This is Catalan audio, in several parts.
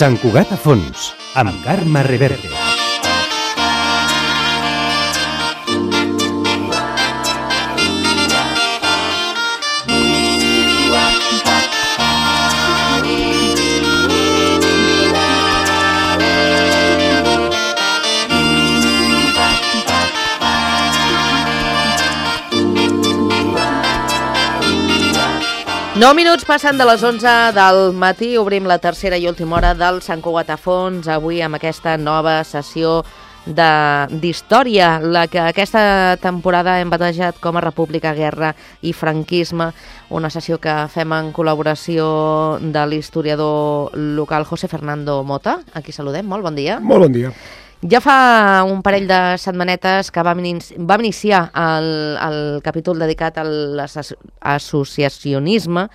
Sant Cugat a fons, amb Carme Reverte. Nou minuts passen de les 11 del matí, obrim la tercera i última hora del Sant Cugat a fons, avui amb aquesta nova sessió d'història, la que aquesta temporada hem batejat com a República, Guerra i Franquisme, una sessió que fem en col·laboració de l'historiador local José Fernando Mota, a qui saludem. Molt bon dia. Molt bon dia. Ja fa un parell de setmanetes que vam iniciar el capítol dedicat a l'associacionisme,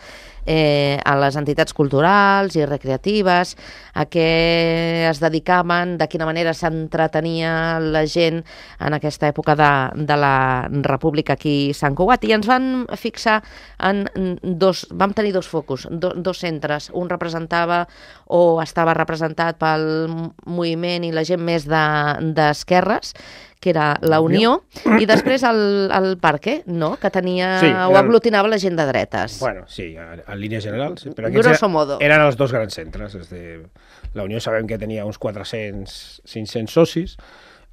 a les entitats culturals i recreatives, a què es dedicaven, de quina manera s'entretenia la gent en aquesta època de la República aquí a Sant Cugat. I ens van fixar en vam tenir dos focus, dos centres. Un representava o estava representat pel moviment i la gent més d'esquerres, que era la Unió, i després el Parque, no?, que tenia, sí, o aglutinava la gent de dretes. Bueno, sí, en línies generals. Però grosso modo. Eren els dos grans centres. La Unió sabem que tenia uns 400-500 socis,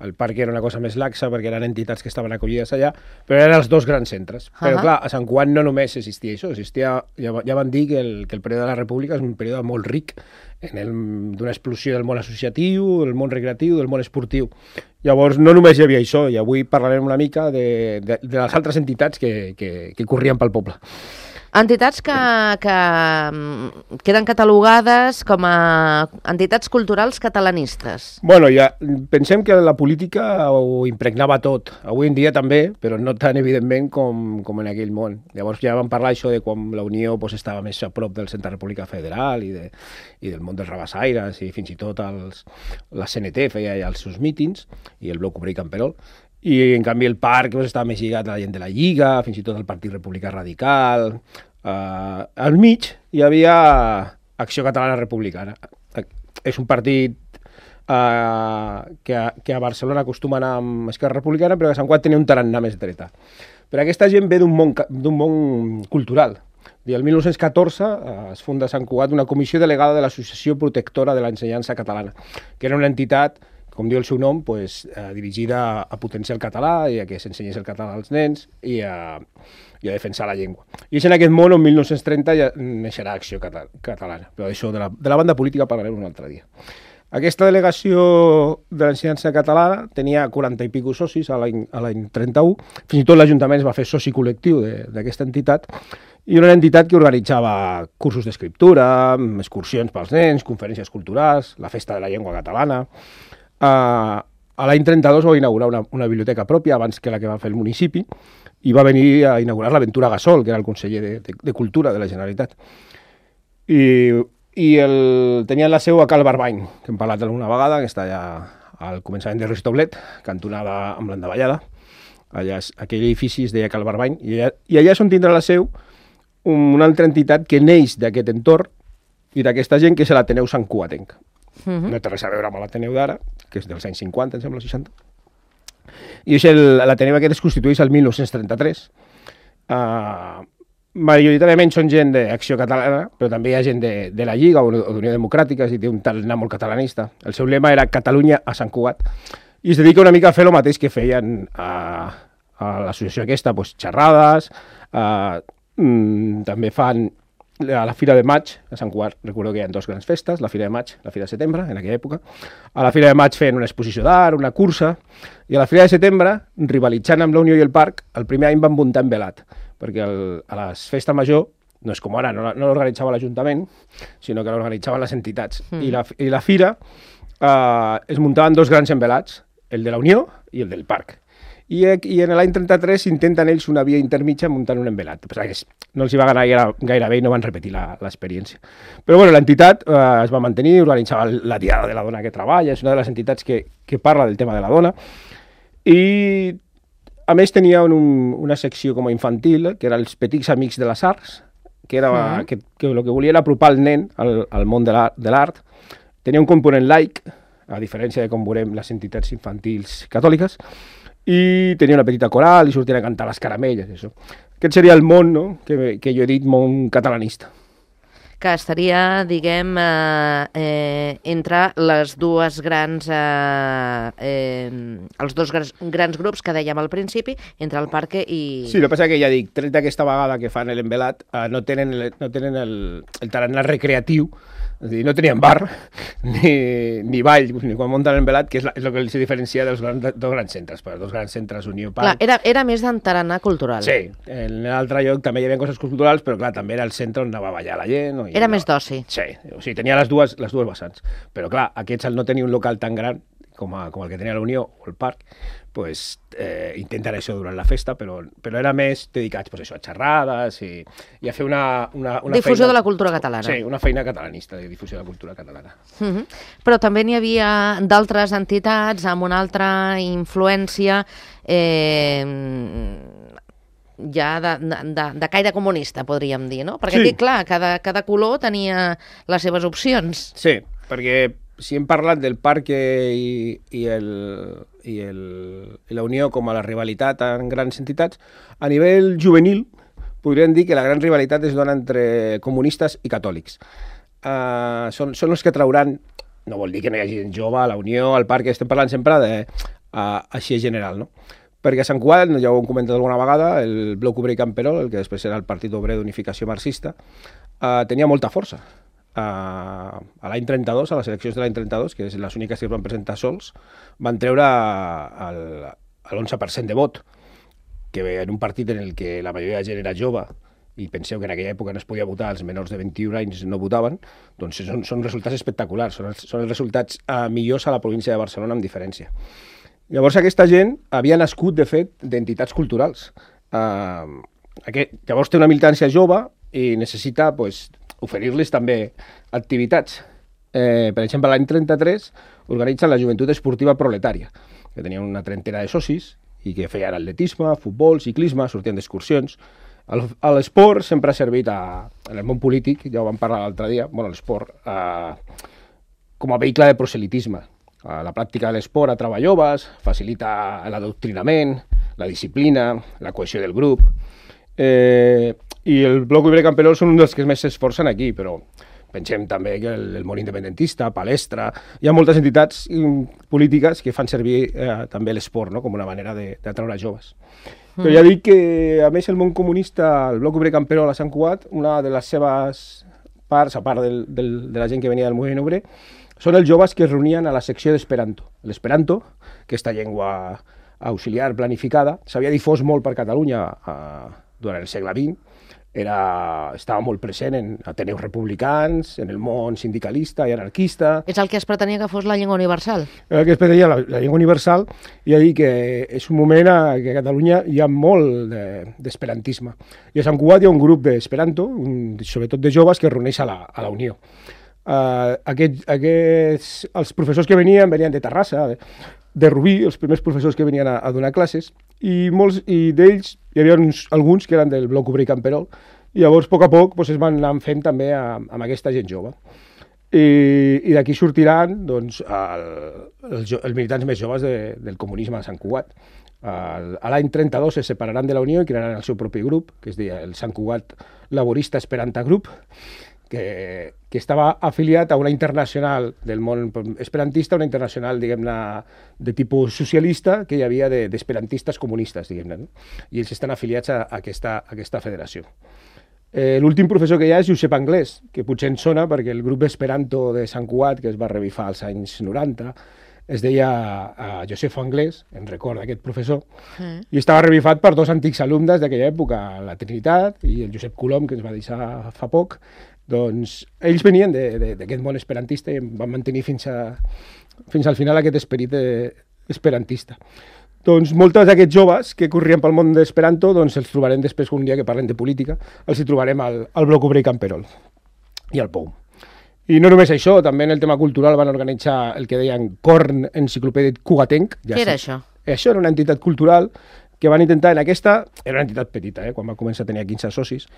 el Parque era una cosa més laxa perquè eren entitats que estaven acollides allà, però eren els dos grans centres. Però clar, a Sant Cugat no només existia això, ja van dir que el període de la República és un període molt ric d'una explosió del món associatiu, del món recreatiu, del món esportiu. Llavors, no només hi havia això, i avui parlarem una mica de les altres entitats que corrien pel poble. Entitats que queden catalogades com a entitats culturals catalanistes. Bueno, ja pensem que la política ho impregnava tot. Avui en dia també, però no tan evidentment com en aquell món. Llavors ja vam parlar això de quan la Unió estava més a prop del Centre República Federal i del món dels rabassaires, i fins i tot la CNT feia ja els seus mítings, i el Bloc Obrer Camperol. I, en canvi, el Parc estava més lligat a la gent de la Lliga, fins i tot el Partit Republicà Radical. Al mig hi havia Acció Catalana Republicana. És un partit que a Barcelona acostuma a anar amb Esquerra Republicana, però que a Sant Cugat tenia un tarannà més dreta. Però aquesta gent ve d'un món cultural. I el 1914 es funda a Sant Cugat una comissió delegada de l'Associació Protectora de l'Ensenyança Catalana, que era una entitat, com diu el seu nom, dirigida a potenciar el català i a que s'ensenyés el català als nens i a defensar la llengua. I és en aquest món, en 1930, ja neixerà Acció Catalana. Però d'això, de la banda política, parlarem un altre dia. Aquesta delegació de l'ensenyança catalana tenia 40 i pico socis a l'any 31. Fins i tot l'Ajuntament es va fer soci col·lectiu d'aquesta entitat, i una entitat que organitzava cursos d'escriptura, excursions pels nens, conferències culturals, la Festa de la Llengua Catalana. A l'any 32 va inaugurar una biblioteca pròpia abans que la que va fer el municipi, i va venir a inaugurar l'Aventura Gasol, que era el conseller de Cultura de la Generalitat. I tenien la seu a Cal Barbany, que hem parlat alguna vegada, que està allà al començament de Ristoblet, cantonada amb l'Endavallada. Aquell edifici es deia Cal Barbany, i allà és on tindrà la seu una altra entitat que neix d'aquest entorn i d'aquesta gent, que és l'Ateneu Sant Cugatenc. No té res a veure amb l'Ateneu d'ara, que és dels anys 50, em sembla, 60. I l'Ateneu aquest es constitueix el 1933. Majoritàriament són gent d'Acció Catalana, però també hi ha gent de la Lliga o d'Unió Democràtica, i té un tarannà molt catalanista. El seu lema era Catalunya a Sant Cugat. I es dedica una mica a fer el mateix que feien a l'associació aquesta, xerrades, també fan a la Fira de Maig, a Sant Cugat, recordo que hi ha dues grans festes, la Fira de Maig, la Fira de Setembre, en aquella època. A la Fira de Maig feien una exposició d'art, una cursa, i a la Fira de Setembre, rivalitzant amb la Unió i el Parc, el primer any van muntar en velat, perquè a la festa major, no és com ara, no l'organitzava l'Ajuntament, sinó que l'organitzaven les entitats. I la Fira es muntaven dos grans envelats, el de la Unió i el del Parc. I en l'any 33 intenten ells una via intermitja muntant un envelat. No els hi va anar gaire bé i no van repetir l'experiència. Però bueno, l'entitat es va mantenir, organitzava la Diada de la Dona que Treballa, és una de les entitats que parla del tema de la dona. I a més tenia una secció com a infantil, que era els Petits Amics de les Arts, que el que volia era apropar el nen al món de l'art, Tenia un component laic, a diferència de com veurem les entitats infantils catòliques, i tenia una petita coral i sortien a cantar les caramelles. Això. Aquest seria el món, no?, que jo he dit, món catalanista. Que estaria, diguem, entre les dues grans, els dos grans grups que dèiem al principi, entre el Parque i... Sí, el que passa que ja dic, tret d'aquesta vegada que fan l'envelat, no tenen el tarannà recreatiu, és a dir, no tenien bar, ni ball, ni quan munten l'envelat, que és el que els diferencia dels dos grans centres, dos grans centres, Unió Parc. Clar, era més d'en tarannà cultural. Sí, en l'altre lloc també hi havia coses culturals, però clar, també era el centre on anava a ballar la gent. Era més d'oci. Sí, o sigui, tenia les dues vessants. Però clar, aquests al no tenir un local tan gran com el que tenia la Unió o el Parc, pues, intenten això durant la festa, però era més dedicats pues, això, a xerrades i a fer una difusió feina, de la cultura catalana. Sí, una feina catalanista, de difusió de la cultura catalana. Però també n'hi havia d'altres entitats amb una altra influència ja de caire comunista, podríem dir, no? Perquè aquí, clar, cada color tenia les seves opcions. Sí, perquè si hem parlat del Parque i la Unió com a la rivalitat en grans entitats, a nivell juvenil podríem dir que la gran rivalitat es dona entre comunistes i catòlics. Són els que trauran, no vol dir que no hi hagi gent jove, a la Unió, al Parc, estem parlant sempre així en general, no? Perquè a Sant Cugat, ja ho hem comentat alguna vegada, el Bloc Obrer i Camperol, el que després era el Partit Obrer d'Unificació Marxista, tenia molta força. A l'any 32, a les eleccions de l'any 32, que és les úniques que es van presentar sols, van treure l'11% de vot, que en un partit en el que la majoria de gent era jove, i penseu que en aquella època no es podia votar, els menors de 21 anys no votaven, doncs són resultats espectaculars, són els resultats millors a la província de Barcelona amb diferència. Llavors aquesta gent havia nascut, de fet, d'entitats culturals. Llavors té una militància jove i necessita oferir-les també activitats. Per exemple, l'any 33 organitzen la Joventut Esportiva Proletària, que tenia una trentena de socis i que feien atletisme, futbol, ciclisme, sortien d'excursions. L'esport sempre ha servit en el món polític, ja ho vam parlar l'altre dia, l'esport com a vehicle de proselitisme. La pràctica de l'esport atrau joves, facilita l'adoctrinament, la disciplina, la cohesió del grup. I el Bloc Obrer i Camperol són un dels que més s'esforcen aquí, però pensem també que el món independentista, Palestra, hi ha moltes entitats polítiques que fan servir també l'esport, no?, com una manera d'atraure joves. Però ja dic que, a més, el món comunista, el Bloc Obrer i Camperol a Sant Cugat, una de les seves parts, a part de la gent que venia del moviment obrer, són els joves que es reunien a la secció d'Esperanto. L'Esperanto, aquesta llengua auxiliar planificada, s'havia difós molt per Catalunya durant el segle XX, estava molt present en ateneus republicans, en el món sindicalista i anarquista. És el que es pretenia que fos la llengua universal? El que es pretenia la llengua universal, i a dir que és un moment que a Catalunya hi ha molt d'esperantisme. I a Sant Cugat hi ha un grup d'Esperanto, sobretot de joves, que es reuneix a la Unió. Els professors que venien de Terrassa, de Rubí, els primers professors que venien a donar classes, i d'ells hi havia alguns que eren del Bloc Obrer i Camperol, i llavors a poc es van anar fent també amb aquesta gent jove. I d'aquí sortiran els militants més joves del comunisme a Sant Cugat. A l'any 32 se separaran de la Unió i crearan el seu propi grup, que es deia el Sant Cugat Laborista Esperanta Grup, que estava afiliat a una internacional del món esperantista, una internacional, diguem-ne, de tipus socialista, que hi havia d'esperantistes comunistes, diguem-ne, no? I ells estan afiliats a aquesta federació. L'últim professor que hi ha és Josep Anglès, que potser en sona perquè el grup Esperanto de Sant Cugat, que es va revifar als anys 90, es deia Josep Anglès, en record d'aquest professor, i estava revifat per dos antics alumnes d'aquella època, la Trinitat i el Josep Colom, que ens va deixar fa poc. Doncs ells venien d'aquest món esperantista i van mantenir fins al final aquest esperit esperantista. Doncs molts d'aquests joves que corrien pel món d'Esperanto els trobarem després un dia que parlem de política, els hi trobarem al Bloc Obrer i Camperol i al POUM. I no només això, també en el tema cultural van organitzar el que deien Corn Enciclopèdic Cugatenc. Què era això? Això era una entitat cultural que van intentar era una entitat petita, quan va començar a tenir 15 socis,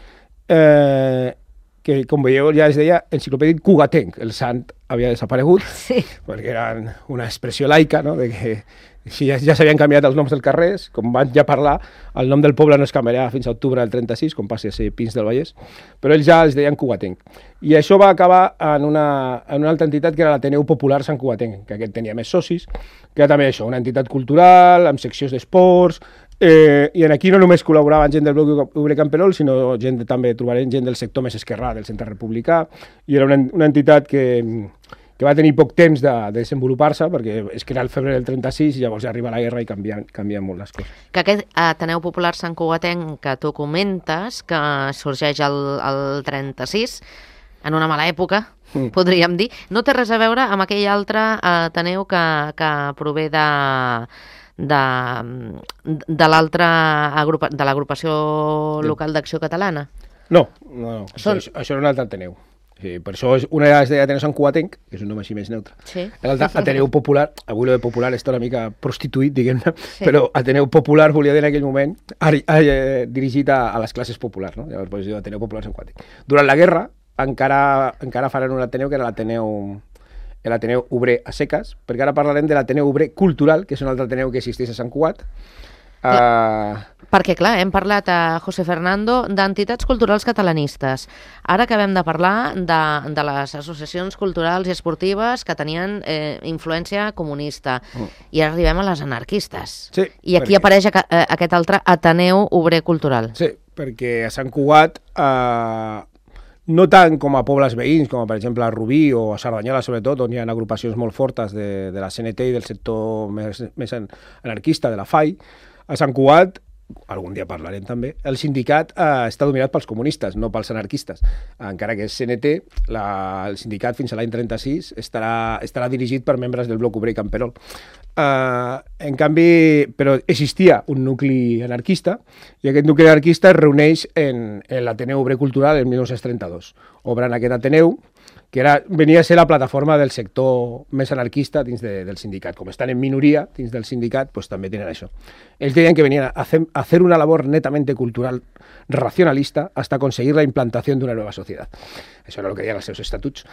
que, com veieu, ja es deia enciclopèdic cugatenc. El sant havia desaparegut, Sí. perquè era una expressió laica, no?, de que si ja s'havien canviat els noms dels carrers, com van ja parlar, el nom del poble no es canviarà fins a octubre del 36, com passi a ser Pins del Vallès, però ells ja els deien cugatenc. I això va acabar en una altra entitat que era l'Ateneu Popular Sant Cugatenc, que aquest tenia més socis, que era també això, una entitat cultural, amb seccions d'esports, i en aquí no només col·laboraven gent del Bloc Obrer Camperol, sinó també trobarem gent del sector més esquerrà, del centre republicà, i era una entitat que va tenir poc temps de desenvolupar-se, perquè és que era el febrer del 36 i llavors ja arriba la guerra i canvien molt les coses. Que aquest Ateneu Popular Sant Cugatenc que tu comentes, que sorgeix el 36, en una mala època, podríem dir, no té res a veure amb aquell altre Ateneu que prové de l'agrupació local d'Acció Catalana? No. Això era un altre Ateneu. Sí, per això una es deia Ateneu Sant Cugatenc, que és un nom així més neutre. Sí. L'altre Ateneu Popular, avui lo de popular està una mica prostituït, diguem-ne, però Ateneu Popular volia dir en aquell moment dirigit a les classes populars, no? Llavors es diu Ateneu Popular Sant Cugatenc. Durant la guerra encara faran un Ateneu que era l'Ateneu Obrer a seques, perquè ara parlarem de l'Ateneu Obrer Cultural, que és un altre Ateneu que existeix a Sant Cugat. Perquè, clar, hem parlat a José Fernando d'entitats culturals catalanistes. Ara acabem de parlar de les associacions culturals i esportives que tenien influència comunista. I ara arribem a les anarquistes. Sí, I aquí apareix aquest altre Ateneu Obrer Cultural. Sí, perquè a Sant Cugat, no tant com a pobles veïns, com per exemple a Rubí o a Cerdanyola, sobretot, on hi ha agrupacions molt fortes de la CNT i del sector més anarquista, de la FAI, a Sant Cugat, algun dia parlarem també, el sindicat està dominat pels comunistes, no pels anarquistes. Encara que és CNT, el sindicat fins a l'any 36 estarà dirigit per membres del Bloc Obrer Camperol. En canvi, però existia un nucli anarquista, i aquest nucli anarquista es reuneix en l'Ateneu Obrer Cultural en 1932. Obren aquest Ateneu, que venia a ser la plataforma del sector més anarquista dins del sindicat. Com estan en minoria dins del sindicat, pues també tenen això. Ells deien que venien a hacer una labor netamente cultural racionalista hasta conseguir la implantación de una nueva sociedad. Això era el que deien els seus estatuts.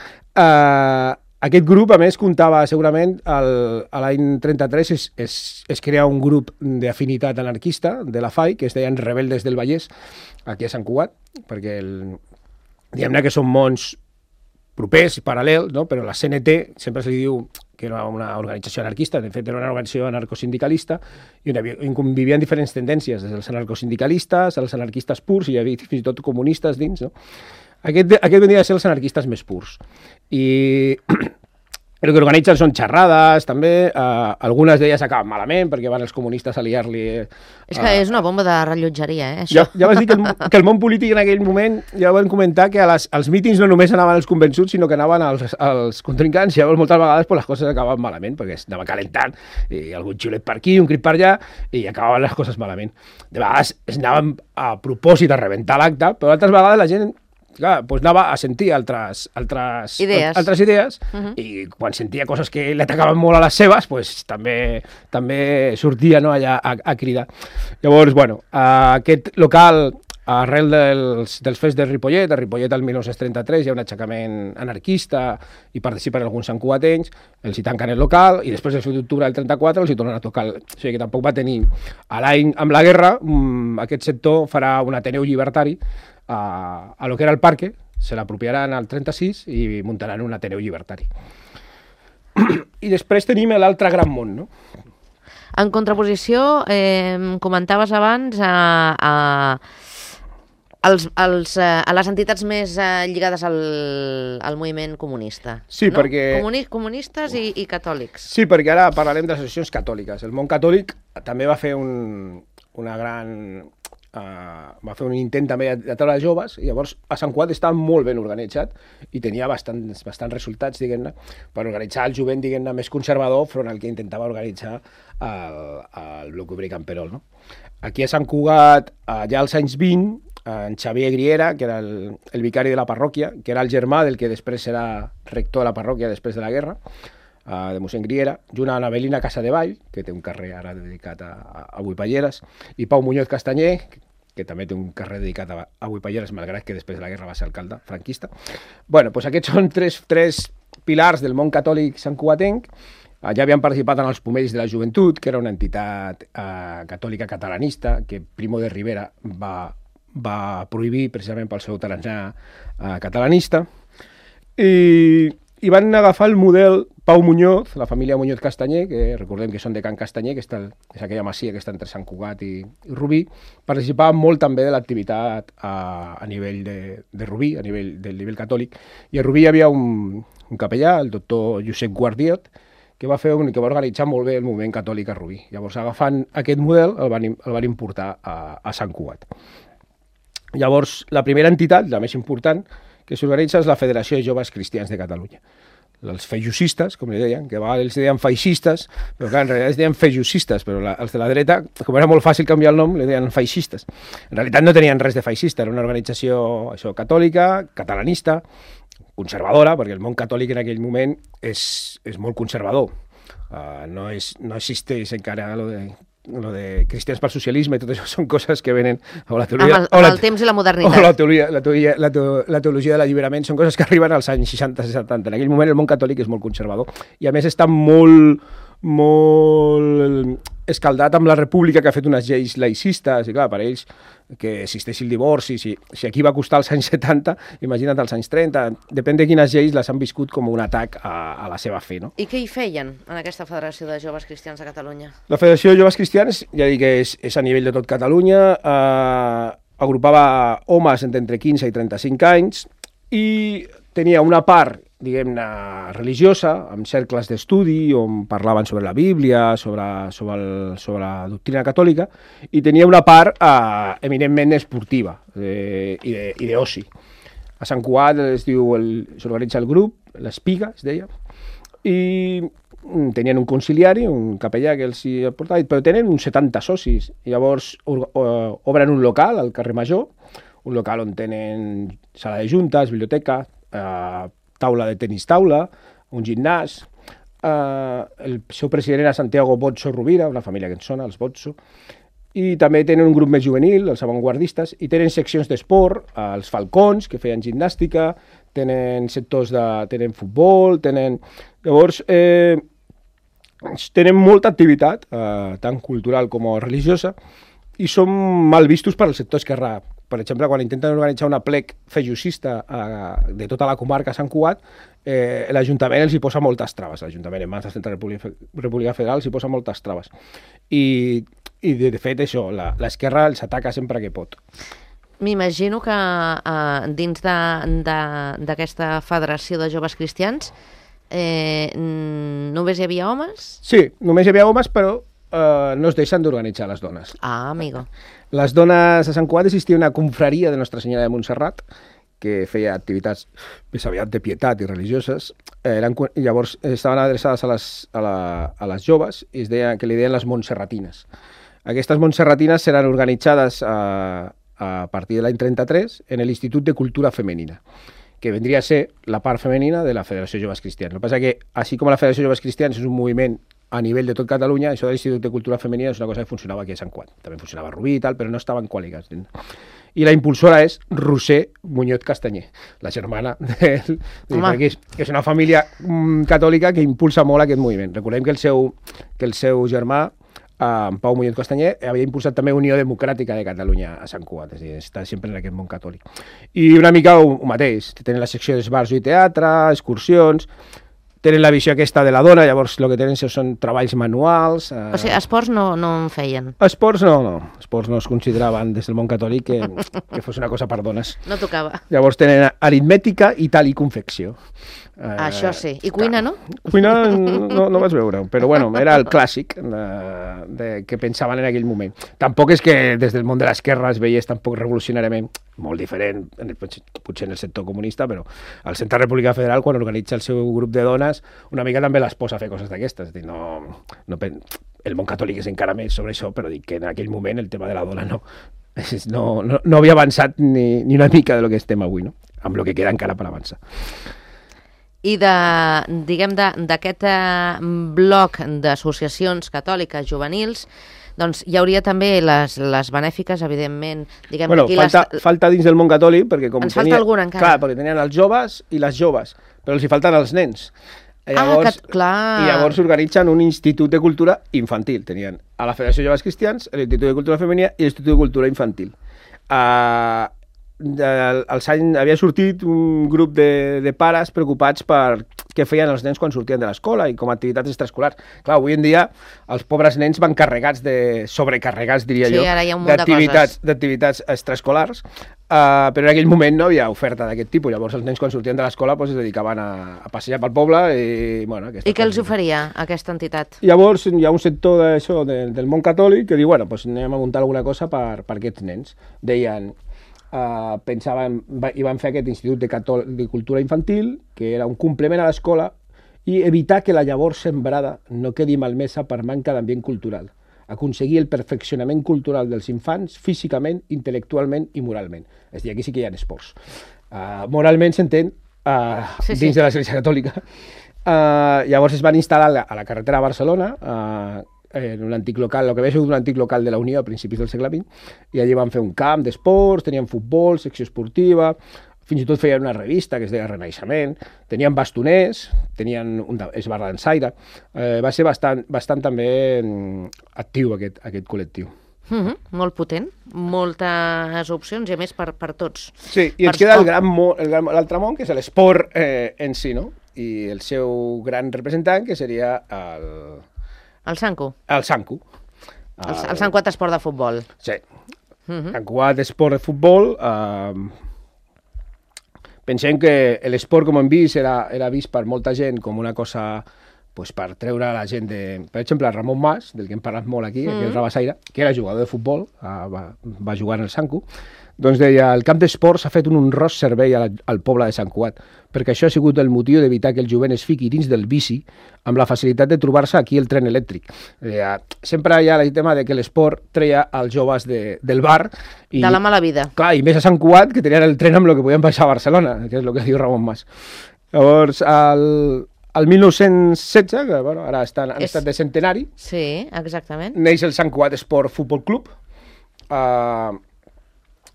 Aquest grup, a més, comptava segurament, a l'any 33 es crea un grup d'afinitat anarquista de la FAI, que es deien Rebeldes del Vallès, aquí a Sant Cugat, perquè diguem-ne que són mons propers, paral·lels, no? Però la CNT sempre se li diu que era una organització anarquista, de fet era una organització anarcosindicalista, i on convivien diferents tendències, des dels anarcosindicalistes als anarquistes purs, i hi havia fins i tot comunistes dins, no? Aquest venia a ser els anarquistes més purs. I el que organitzen són xerrades, també. Algunes d'elles acaben malament, perquè van els comunistes a liar-li... És que és una bomba de rellotgeria, això. Ja vas dir que el món polític en aquell moment, ja vam comentar que als mítings no només anaven els convençuts, sinó que anaven els contrincants, i llavors moltes vegades les coses acabaven malament, perquè es anava calentant, i algun xiulet per aquí, un crit per allà, i acabaven les coses malament. De vegades es anaven a propòsit a rebentar l'acte, però altres vegades la gent... Clar, doncs anava a sentir altres idees i quan sentia coses que li atacaven molt a les seves, doncs també sortia, no, allà a cridar. Llavors, bueno, aquest local, arrel dels fets de Ripollet, el 1933 hi ha un aixecament anarquista i participen alguns santcugatencs, els hi tanquen el local i després del 7 d'octubre del 34 els hi tornen a tocar. O sigui que tampoc va tenir... Amb la guerra, aquest sector farà un Ateneu llibertari a lo que era el parque, se l'apropiaran al 36 i muntaran un Ateneu llibertari. I després tenim l'altre gran món, no? En contraposició, comentaves abans a les entitats més lligades al moviment comunista. Sí, no? perquè... Comunistes i catòlics. Sí, perquè ara parlarem de les associacions catòliques. El món catòlic també va fer un intent també de treure joves, i llavors a Sant Cugat estava molt ben organitzat i tenia bastants resultats, diguem-ne, per organitzar el jovent, diguem-ne, més conservador front al que intentava organitzar el Bloc Obrer Camperol, no? Aquí a Sant Cugat, ja als anys 20, en Xavier Griera, que era el vicari de la parròquia, que era el germà del que després serà rector de la parròquia després de la guerra, de mossèn Griera, junt amb Avelina Casadevall, que té un carrer ara dedicat a Buipalleres, i Pau Muñoz Castanyer, que també té un carrer dedicat a Huipalleres, malgrat que després de la guerra va ser alcalde franquista. Bueno, doncs aquests són tres pilars del món catòlic santcugatenc. Ja havien participat en els Pomells de la Joventut, que era una entitat catòlica catalanista que Primo de Rivera va prohibir precisament pel seu tarannà catalanista. I van agafar el model Pau Muñoz, la família Muñoz Castanyer, que recordem que són de Can Castanyer, que és aquella masia que està entre Sant Cugat i Rubí, participaven molt també de l'activitat a nivell de Rubí, a nivell del nivell catòlic. I a Rubí hi havia un capellà, el doctor Josep Guardiot, que va organitzar molt bé el moviment catòlic a Rubí. Llavors, agafant aquest model, el van importar a Sant Cugat. Llavors, la primera entitat, la més important, que s'organitza és la Federació de Joves Cristians de Catalunya. Els feijucistes, com li deien, que a vegades els deien feixistes, però clar, en realitat els deien feijucistes, però els de la dreta, com era molt fàcil canviar el nom, li deien feixistes. En realitat no tenien res de feixista, era una organització catòlica, catalanista, conservadora, perquè el món catòlic en aquell moment és molt conservador. No existeix encara lo de cristians pel socialisme i tot això són coses que venen a la teoria... Amb el temps i la modernitat. O la teologia de l'alliberament són coses que arriben als anys 60-70. En aquell moment el món catòlic és molt conservador i a més està molt escaldat amb la república, que ha fet unes lleis laïcistes, i clar, per ells que existeixi el divorci, si aquí va costar als anys 70, imagina't als anys 30, depèn de quines lleis les han viscut com un atac a la seva fe, no? I què hi feien en aquesta Federació de Joves Cristians de Catalunya? La Federació de Joves Cristians, ja dic que és a nivell de tot Catalunya, agrupava homes entre 15 i 35 anys i tenia una part, diguem-ne, religiosa, amb cercles d'estudi on parlaven sobre la Bíblia, sobre la doctrina catòlica, i tenia una part eminentment esportiva i d'oci. A Sant Cugat s'organitza el grup, l'Espiga, es deia, i tenien un conciliari, un capellà que els hi portava, però tenen uns 70 socis. I llavors obren un local al carrer Major, un local on tenen sala de juntes, biblioteca, taula de tenis taula, un gimnàs. El seu president era Santiago Bozzo Rovira, una família que ens sona, els Bozzo. I també tenen un grup més juvenil, els avantguardistes, i tenen seccions d'esport, els Falcons, que feien gimnàstica, tenen sectors tenen futbol, Llavors, tenen molta activitat, tant cultural com religiosa, i són mal vistos per al sector esquerrà. Per exemple, quan intenten organitzar una plec feijucista de tota la comarca Sant Cugat, l'Ajuntament els hi posa moltes traves. L'Ajuntament, en mans de la República Federal, els hi posa moltes traves. I de fet, això, l'esquerra els ataca sempre que pot. M'imagino que dins d'aquesta Federació de Joves Cristians només hi havia homes? Sí, només hi havia homes, però no es deixen d'organitzar les dones. Amigo. Les dones a Sant Cugat existia una confraria de Nostra Senyora de Montserrat que feia activitats més aviat de pietat i religioses. Llavors estaven adreçades a les joves i que li deien les montserratines. Aquestes montserratines seran organitzades a partir de l'any 33 en l'Institut de Cultura Femenina, que vendria a ser la part femenina de la Federació de Joves Cristians. El que passa que, així com la Federació de Joves Cristians és un moviment a nivell de tot Catalunya, això de l'Institut de Cultura Femenina és una cosa que funcionava aquí a Sant Cugat. També funcionava a Rubí i tal, però no estaven coligats. I la impulsora és Roser Muñoz Castanyer, la germana perquè és una família catòlica que impulsa molt aquest moviment. Recordem que el seu germà, en Pau Muñoz Castanyer, havia impulsat també Unió Democràtica de Catalunya a Sant Cugat, és a dir, està sempre en aquest món catòlic. I una mica el mateix, tenen la secció d'esbarjo i teatre, excursions, tenen la visió aquesta de la dona, llavors el que tenen són treballs manuals. O sigui, esports no en feien? Esports no. Esports no es consideraven des del món catòlic que fos una cosa per dones. No tocava. Llavors tenen aritmètica i tal i confecció. Això sí. I cuina, no? Cuina no vaig veure, però bueno, era el clàssic que pensaven en aquell moment. Tampoc és que des del món de l'esquerra es veiés tampoc revolucionàriament, molt diferent, potser en el sector comunista, però al Centre República Federal, quan organitza el seu grup de dones, una mica també les posa a fer coses d'aquestes. El món catòlic és encara més sobre això, però dic que en aquell moment el tema de la dona no havia avançat ni una mica de lo que estem avui, no? Amb el que queda encara per avançar. I d'aquest bloc d'associacions catòliques juvenils, Doncs hi hauria també les benèfiques, evidentment. Diguem Bueno, que aquí falta dins del món catòlic, perquè com ens falta alguna encara. Clar, perquè tenien els joves i les joves, però els hi falten els nens. Clar. I llavors organitzen un institut de cultura infantil. Tenien a la Federació de Joves Cristians, l'Institut de Cultura Femenina i l'Institut de Cultura Infantil. Havia sortit un grup de pares preocupats per què feien els nens quan sortien de l'escola i com a activitats extraescolars. Clar, avui en dia els pobres nens van sobrecarregats, diria jo, ara hi ha un munt de coses. d'activitats extraescolars, però en aquell moment no hi havia oferta d'aquest tipus. Llavors els nens quan sortien de l'escola es dedicaven a passejar pel poble i... I què els oferia aquesta entitat? Llavors hi ha un sector d'això del món catòlic que diu, anem a muntar alguna cosa per aquests nens. Deien... pensaven i van fer aquest Institut de Cultura Infantil, que era un complement a l'escola, i evitar que la llavor sembrada no quedi malmesa per manca d'ambient cultural. Aconseguir el perfeccionament cultural dels infants físicament, intel·lectualment i moralment. És a dir, aquí sí que hi ha esports. Moralment s'entén dins de l'Església Catòlica. Llavors es van instal·lar a la carretera a Barcelona, en un antic local, el que havia sigut un antic local de la Unió a principis del segle XX, i allí van fer un camp d'esports, tenien futbol, secció esportiva, fins i tot feien una revista que es deia Renaixement, tenien bastoners, tenien un esbardansaire. Va ser bastant també actiu aquest col·lectiu. Molt potent, moltes opcions i a més per tots. Sí, i ens queda l'altre món, que és l'esport en si, no? I el seu gran representant, que seria el Sanku. El Sanku. El Sankuat esport de futbol. Sí. Sankuat esport de futbol. Pensem que l'esport, com hem vist, era vist per molta gent com una cosa per treure la gent de... Per exemple, Ramon Mas, del que hem parlat molt aquí, el rabassaire, que era jugador de futbol, va jugar en el Sanku, doncs deia, el camp d'esports ha fet un honrós servei al poble de Sant Cugat, perquè això ha sigut el motiu d'evitar que el jovent es fiqui dins del vici amb la facilitat de trobar-se aquí el tren elèctric. Sempre hi ha el tema de que l'esport treia els joves del bar. De la mala vida. Clar, i més a Sant Cugat, que tenien el tren amb el que podien baixar a Barcelona, que és el que diu Ramon Mas. Llavors, el 1916, que ara han estat de centenari, sí, exactament, neix el Sant Cugat Esport Futbol Club.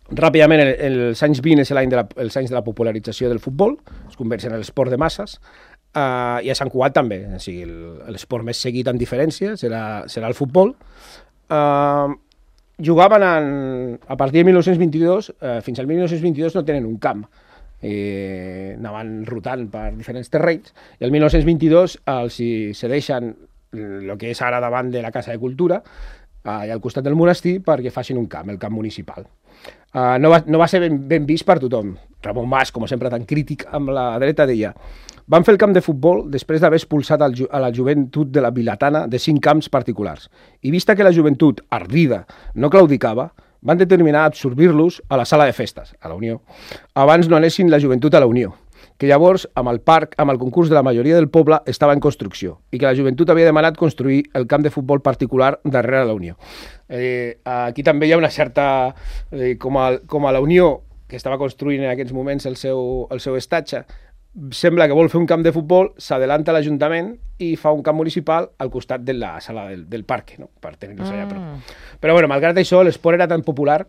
Ràpidament, els anys 20 és els anys de la popularització del futbol, es converteix en l'esport de masses, i a Sant Cugat també, o sigui, l'esport més seguit amb diferència serà el futbol. Jugaven a partir de 1922, fins al 1922 no tenen un camp, anaven rotant per diferents terrenys, i el 1922 els cedeixen el que és ara davant de la Casa de Cultura, i al costat del monestir, perquè facin un camp, el camp municipal. No va ser ben vist per tothom. Ramon Mas, com sempre tan crític amb la dreta, deia: van fer el camp de futbol després d'haver expulsat a la joventut de la Vilatana de 5 camps particulars, i vista que la joventut, ardida, no claudicava, van determinar absorbir-los a la sala de festes, a la Unió, abans no anessin la joventut a la Unió, que llavors, amb el parc, amb el concurs de la majoria del poble, estava en construcció, i que la joventut havia demanat construir el camp de futbol particular darrere la Unió. Aquí també hi ha una certa... Com a la Unió, que estava construint en aquests moments el seu estatge, sembla que vol fer un camp de futbol, s'adelanta a l'Ajuntament i fa un camp municipal al costat de la sala del parc, no? Per tenir-los allà a prop. Però, malgrat això, l'esport era tan popular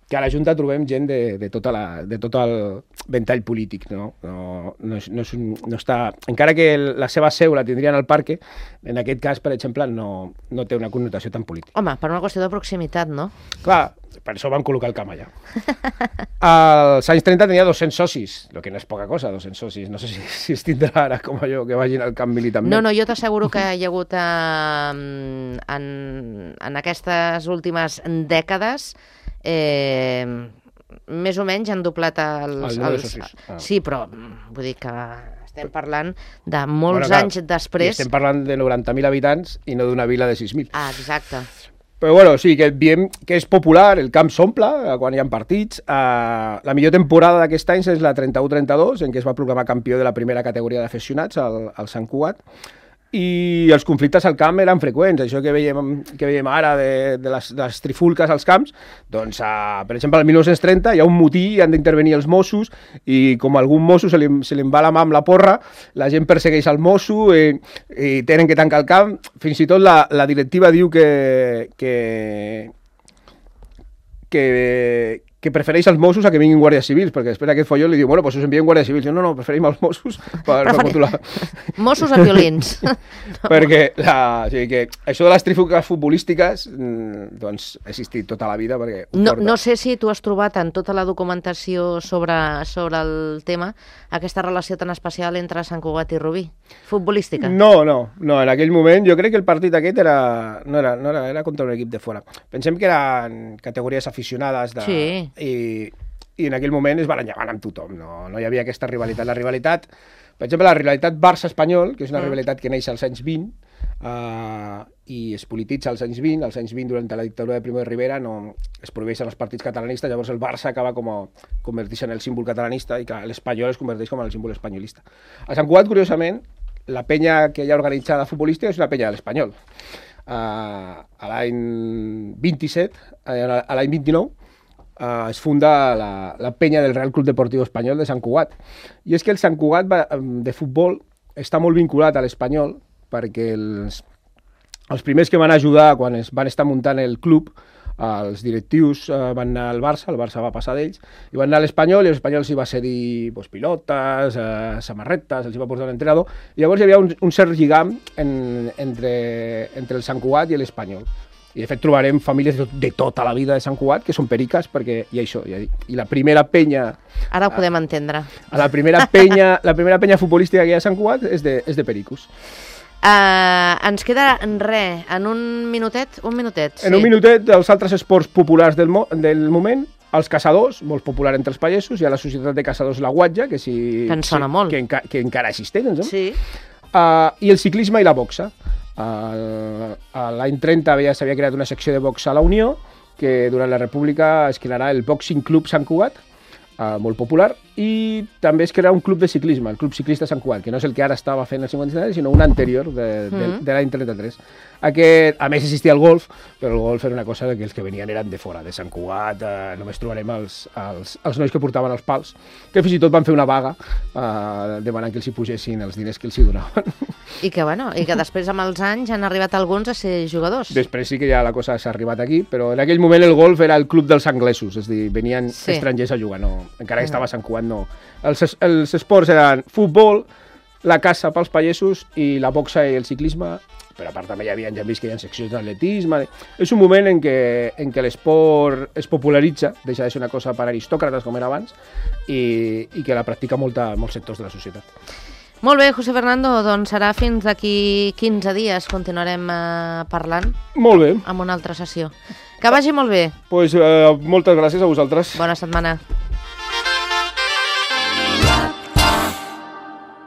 que a la Junta trobem gent de tot el ventall polític, no està... Encara que la seva seu la tindrien al parc, en aquest cas, per exemple, no té una connotació tan política. Home, per una qüestió de proximitat, no? Clar, per això vam col·locar el camp allà. Als anys 30 tenia 200 socis, el que no és poca cosa, 200 socis. No sé si es tindrà ara, com jo, que vagin al camp militarment. No, jo t'asseguro que hi ha hagut en aquestes últimes dècades més o menys han doblat els... Sí, però vull dir que estem parlant de molts anys després... Estem parlant de 90.000 habitants i no d'una vila de 6.000. Exacte. Però sí, que veiem que és popular, el camp s'omple quan hi ha partits. La millor temporada d'aquest any és la 31-32, en què es va proclamar campió de la primera categoria d'aficionats, al Sant Cugat. i els conflictes al camp eren freqüents. Això que veiem ara de les trifulques als camps, doncs, per exemple, el 1930 hi ha un motí i han d'intervenir els Mossos i com a algun mosso se li en va la mà amb la porra, la gent persegueix el mosso i tenen que tancar el camp. Fins i tot la directiva diu que prefereix els Mossos a que vinguin guàrdies civils, perquè després aquest folló li diu, bueno, pues us enviem guàrdies civils. No, preferim els Mossos per controlar. Mossos a violins. Perquè o sigui que això de les trífugues futbolístiques doncs ha existit tota la vida. Perquè no sé si tu has trobat en tota la documentació sobre el tema aquesta relació tan especial entre Sant Cugat i Rubí, futbolística. No, en aquell moment jo crec que el partit aquest era contra un equip de fora. Pensem que eren categories aficionades Sí. I en aquell moment es baranyaven amb tothom, no hi havia aquesta rivalitat. La rivalitat, per exemple, la rivalitat Barça-Espanyol, que és una rivalitat que neix als anys 20 i es polititza als anys 20. Als anys 20, durant la dictadura de Primo de Rivera, es prohibeixen els partits catalanistes, llavors el Barça acaba com a convertir-se en el símbol catalanista i l'Espanyol es converteix com en el símbol espanyolista. A Sant Cugat, curiosament, la penya que hi ha organitzada futbolística és una penya de l'Espanyol. A l'any 27, a l'any 29, es funda la penya del Real Club Deportiu Espanyol de Sant Cugat. I és que el Sant Cugat de futbol està molt vinculat a l'Espanyol, perquè els primers que van ajudar quan es van estar muntant el club, els directius van anar al Barça, el Barça va passar d'ells, i van anar a l'Espanyol, i l'Espanyol s'hi va cedir pilotes, samarretes, els hi va portar un entrenador, i llavors hi havia un cert lligam entre el Sant Cugat i l'Espanyol. I de fet trobarem famílies de tota la vida de Sant Cugat que són periques, perquè hi ha això. I la primera penya... Ara ho podem entendre. La primera penya futbolística que hi ha a Sant Cugat és de pericos. Ens queda en un minutet. Sí. En un minutet, els altres esports populars del moment, els caçadors, molt popular entre els pagesos, hi ha la societat de caçadors La Guatja, que ens sona molt. Que encara existeix, no? Sí. I el ciclisme i la boxa. L'any 30 ja s'havia creat una secció de boxa a la Unió, que durant la República es crearà el Boxing Club Sant Cugat, molt popular, i també es crearà un club de ciclisme, el Club Ciclista Sant Cugat, que no és el que ara estava fent el 50, sinó un anterior de l'any 33. A més existia el golf, però el golf era una cosa que els que venien eren de fora, de Sant Cugat, només trobarem els nois que portaven els pals, que fins i tot van fer una vaga demanant que els hi pugessin els diners que els hi donaven. I que després amb els anys han arribat alguns a ser jugadors. Després sí que ja la cosa s'ha arribat aquí, però en aquell moment el golf era el club dels anglesos, és a dir, venien estrangers a jugar, encara que estava a Sant Cugat no. Els esports eren futbol, la caça pels pagesos i la boxa i el ciclisme, però a part també ja hem vist que hi ha seccions d'atletisme. És un moment en què l'esport es popularitza, deixa de ser una cosa per aristòcrates com era abans, i que la practica molts sectors de la societat. Molt bé, José Fernando, doncs serà fins d'aquí 15 dies, continuarem parlant. Molt bé. Amb una altra sessió. Que vagi molt bé. Moltes gràcies a vosaltres. Bona setmana.